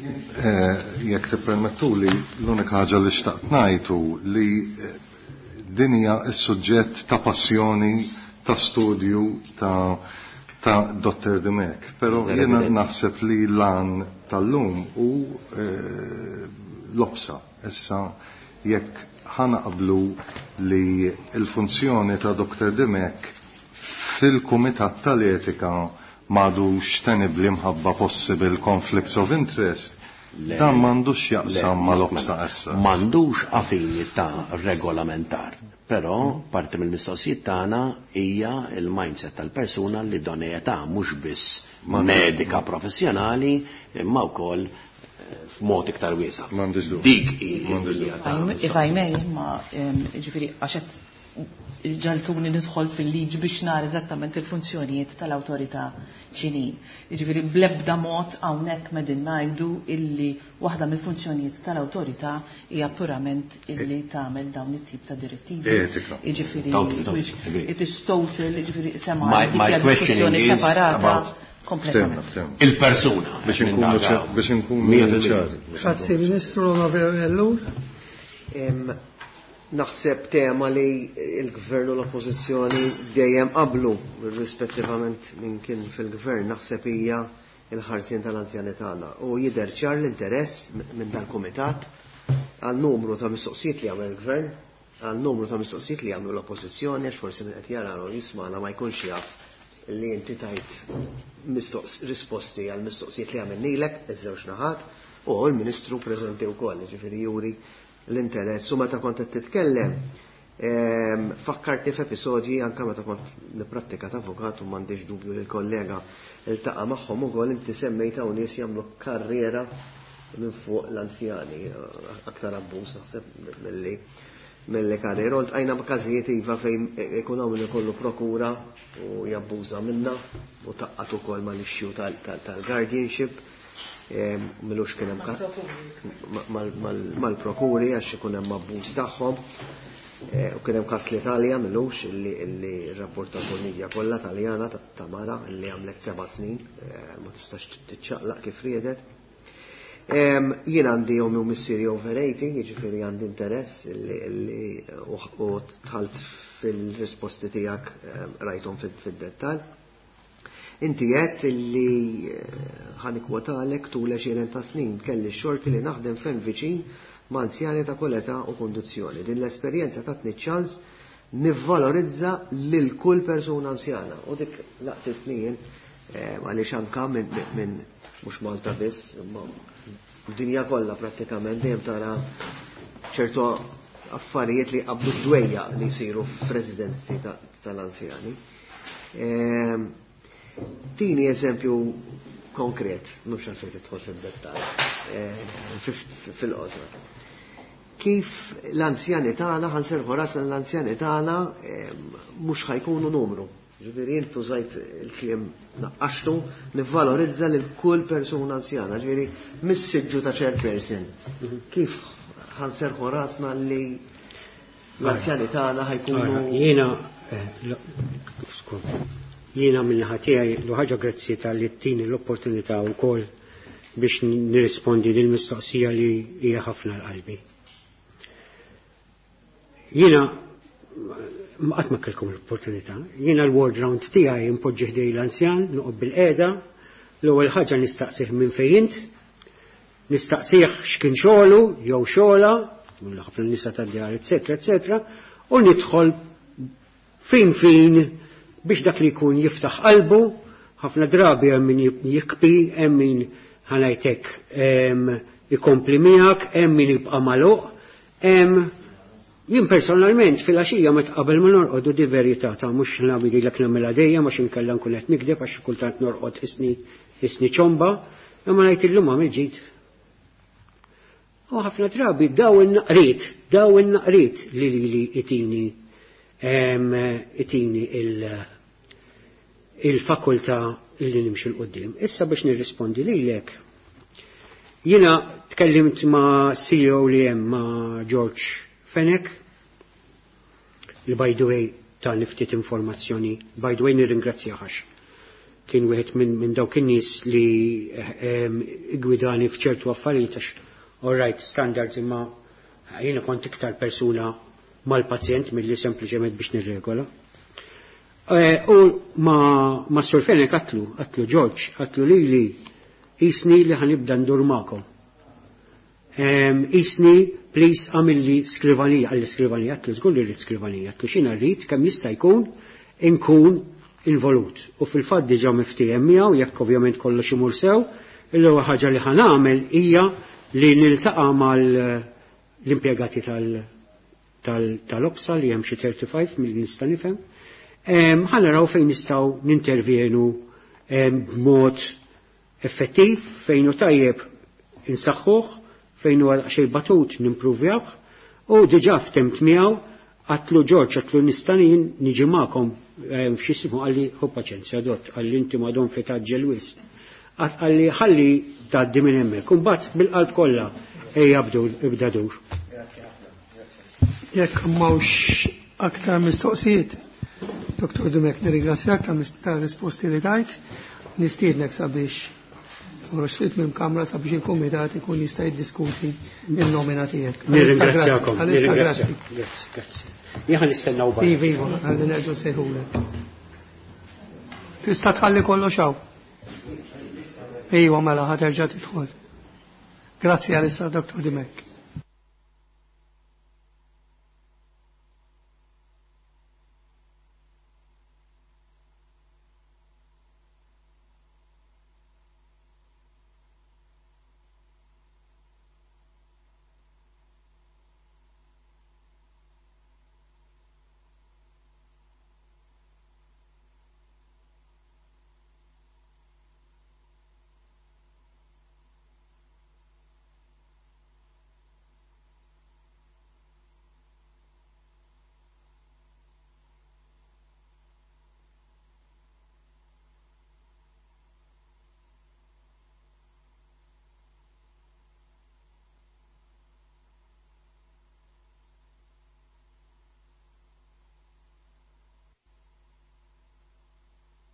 Jekk tippermettuli, l-unika ħaġa li xtaqt ngħid hu li din hija s-suġġett ta' passjoni, ta' studju ta' Dr. Dimech. Però jiena naħseb li l-għan tal-lum hu l-OPSA. Issa jekk ħanaqblu li l-funzjoni ta' Dr. Dimech fil-Kumitat tal-Etika m'għadux tenibli mħabba possible conflicts of interest, dan m'għandux jaqsam mal-OPSA issa. M'għandux affini ta' regolamentar, però parti mill-mistoqsijiet tagħna hija il-mindset tal-persuna li donejetà mhux biss medika professjonali imma wkoll f'mod iktar wiesa'. M'għandix dubju. Dik hi ta' If I may, ma ġifieri għax ġaltuni nidħol fil-liġi biex nara eżattament il-funzjonijiet tal-awtorità x'inhi. Jiġifieri bl-ebda mod hawnhekk medin ngħidu illi waħda mill-funzjonijiet tal-awtorità hija purament illi tagħmel dawn it-tip ta' direttivi. Etika. Jiġifieri it is total, jiġifieri sema dik hija diskussjoni separata kompletament. Il-persuna. Biex inkunu ċari. Grazzi Ministru Onorevoli Ellul. Naħseb tema li il-gvern u l-oppożizzjoni dejjem qablu rispettivament minn kien fil-gvern, naħseb hija il-ħarsien tal-anzjani tagħna. U jidher ċar l-interess minn dal-kumitat għal numru ta' mistoqsijiet li għamel il-gvern, għal numru ta' mistoqsijiet li għamlu l-oppożizzjoni, għax forsi min qed jara u jismana ma jkunx jaf li inti tajt risposti għal mistoqsijiet li għamilnilek, iż-żewġ naħat, u l-Ministru preżenti wkoll, ġifieri juri l-interess. U meta kont qed titkellem, fakkartni f'episodji anke meta kont nipprattika ta' avukat u m'għandix dubju li l-kollega iltaqa' magħhom ukoll, inti semmejt hawn nies jagħmlu karriera minn fuq l-anzjani, aktar abbuż naħseb milli karriera. U ltqajna b'każijiet iva fejn ikun hawn min ikollu prokura u jabbuża minna u taqqat ukoll mal-issue tal-guardianship. Milux kien hemm mal-prokuri għax ikun hemm abbuż tagħhom. U kien hemm każ l-Italja milux illi rrapportat il-medja kollha Taljana ta' mara illi għamlet 7 snin, ma tistax tiċċaqlaq kif riedet. Jien għandi ommi u missieri over 80, jiġifieri għandi interess illi u dħalt fil-risposti tiegħek rajthom fid-dettall. Inti għedt illi ħanikwotalek tul 20 ta' snin kelli x-xorti li naħdem fejn viċin ma' anzjani ta' kull età u kondizzjoni. Din l-esperjenza tatni ċans nivvalorizza lil kull persuna anzjana. U dik laqtitni jien għaliex anka minn mhux Malta biss, imma dinja kollha prattikament dejjem tara ċertu affarijiet li qabdu dwejja li jsiru f'residenzi tal-anzjani. Tini eżempju konkret, mhux għalfejn tidħol fid-dettall, fil-qosor. Kif l-anzjani tagħna, ħanserħu rasna l-anzjani tagħna mhux ħajkunu numru. Ġifieri int użajt il-kliem naqqaxtu, nivvalorizza lil kull persuna anzjana, ġifieri mis-siġġu ta' chairperson. Kif ħanserħu rasna li l-anzjani tagħna ħajkunu Jiena jiena minn tiegħi l ħaġa grazzi tal-li ttini l-opportunità wkoll biex nirrispondi lil mistoqsija li hija ħafna l-qalbi. Jiena qatt ma kellkom l-opportunità. Jiena l-ward round tiegħi impoġġi ħdej l-anzjan, noqgħod bil-qiegħda, l-ewwel ħaġa nistaqsih minn fejn int, Nistaqsih x'kien xogħlu jew xogħla, ħafna nisa tad-djar, eċetera, eċetera, u nidħol fin fin biex dak li jkun jiftaħ qalbu, ħafna drabi hemm min jikbi, hemm min ħanajtek ikompli miegħek, hemm min jibqa' magħluq, hemm jien personalment fil-għaxija meta qabel ma norqod u di verità ta' mhux nagħmililek nagħmilha dejjem għax inkella nkun qed nikdeb għax kultant norqod isni ċomba, imma ngħid illum għamil ġid. U ħafna drabi daw in-naqriet, daw in-naqriet li lili itini itini il-fakultà illi nimxu l-qoddim. Issa biex nirrispondi lilek. Jiena tkellimt ma' CEO li hemm ma' George Fenech, li by the way ta' ftit informazzjoni, by the way nirringrazzjah għax kien wieħed minn dawk in-nies li gwidani f'ċertu affarijiet għax all right standards imma jiena kont iktar persuna mal-pazjent milli sempliċement biex nirregola. U ma Sur Fenech għatlu George, għatlu li jisni li ħa nibda ndur magħkom. Isni, please, għamilli skrivanija, għalli skrivanija, għatlu żgur li rrid skrivanija, għatlu xina rrid kemm jista' jkun inkun involut. U fil-fatt diġà miftiehem miegħu, jekk ovvjament kollox imur sew, l-ewwel ħaġa li ħa nagħmel hija li niltaqa' mal-impjegati tal-OPSA li hemm xi 35 mill nista' nifhem. Ħa naraw fejn nistgħu nintervjenu b'mod effettiv, fejn hu tajjeb insaħħuh, fejn huwa daqsxejn batut nimpruvjawh, u diġà ftemt miegħu għatlu George, għatlu nista' niġi magħkom f'xismu għalli ħu paċenzja dott, għalli inti madon fi taġġel wisq. Għalli ħalli tgħaddi minn hemmhekk. Imbagħad bil-qalb kollha ejja ibda dur. Jekk m'hawnx aktar mistoqsijiet, Dr. Dimech, nirringrazzjak ta' risposti li tajt, nistiednek sabiex toħroġ minn kamra sabiex il-komitat ikun jista' jiddiskuti il-nomina tiegħek. Nirringrazzjakom. Grazzi, grazzi. Jien nistennaw barra. Iva, iva, ħalli nerġgħu sejħulek. Tista' tħalli kollox hawn. Iva, mela ħa terġa' tidħol. Grazzi għalissa, Dr. Dimech.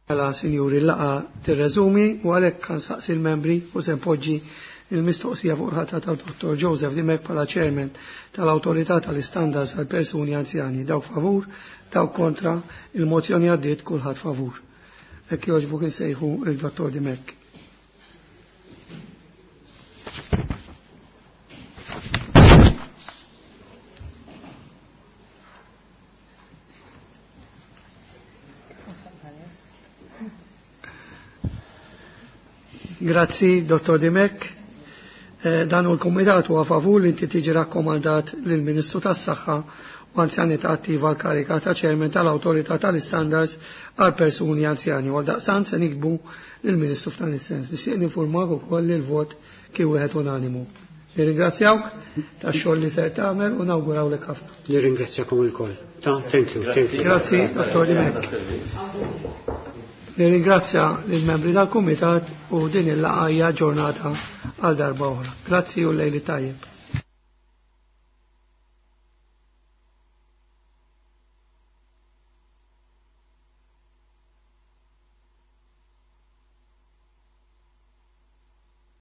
Mela, sinjuri, l-laqgħa tirreżumi u għalhekk nsaqsi l-membri u se npoġġi il-mistoqsija fuq il-ħatra ta' Dr. Joseph Dimech bħala chairman tal-Awtorità tal-Istandards għal persuni anzjani. Dawk favur, dawk kontra, il-mozzjoni għaddiet kulħadd favur. Hekk jogħġbok insejħu il-Dr. Dimech. Grazzi, Dr. Dimech. Dan u l-Komitat huwa favur li inti tiġi rakkomandat lill-Ministru tas-Saħħa u Anzjanità Attiva l-kariga ta' Chairman tal-Awtorità tal-Istandards għal persuni anzjani. Għal daqstant se nikbu lill-Ministru f'dan is-sens. Nixtieq ninfurmak ukoll li l-vot kien wieħed unanimu. Nirringrazzjawk tax-xogħol li ser tagħmel u nawgurawlek ħafna. Nirringrazzjakom ilkoll. Ta' thank you, thank you. Grazzi, Dr. Dimech. Nirringrazzja lill-membri tal-Kumitat u din il-laqgħa hija ġurnata għal darba oħra. Grazzi u lejli tajjeb.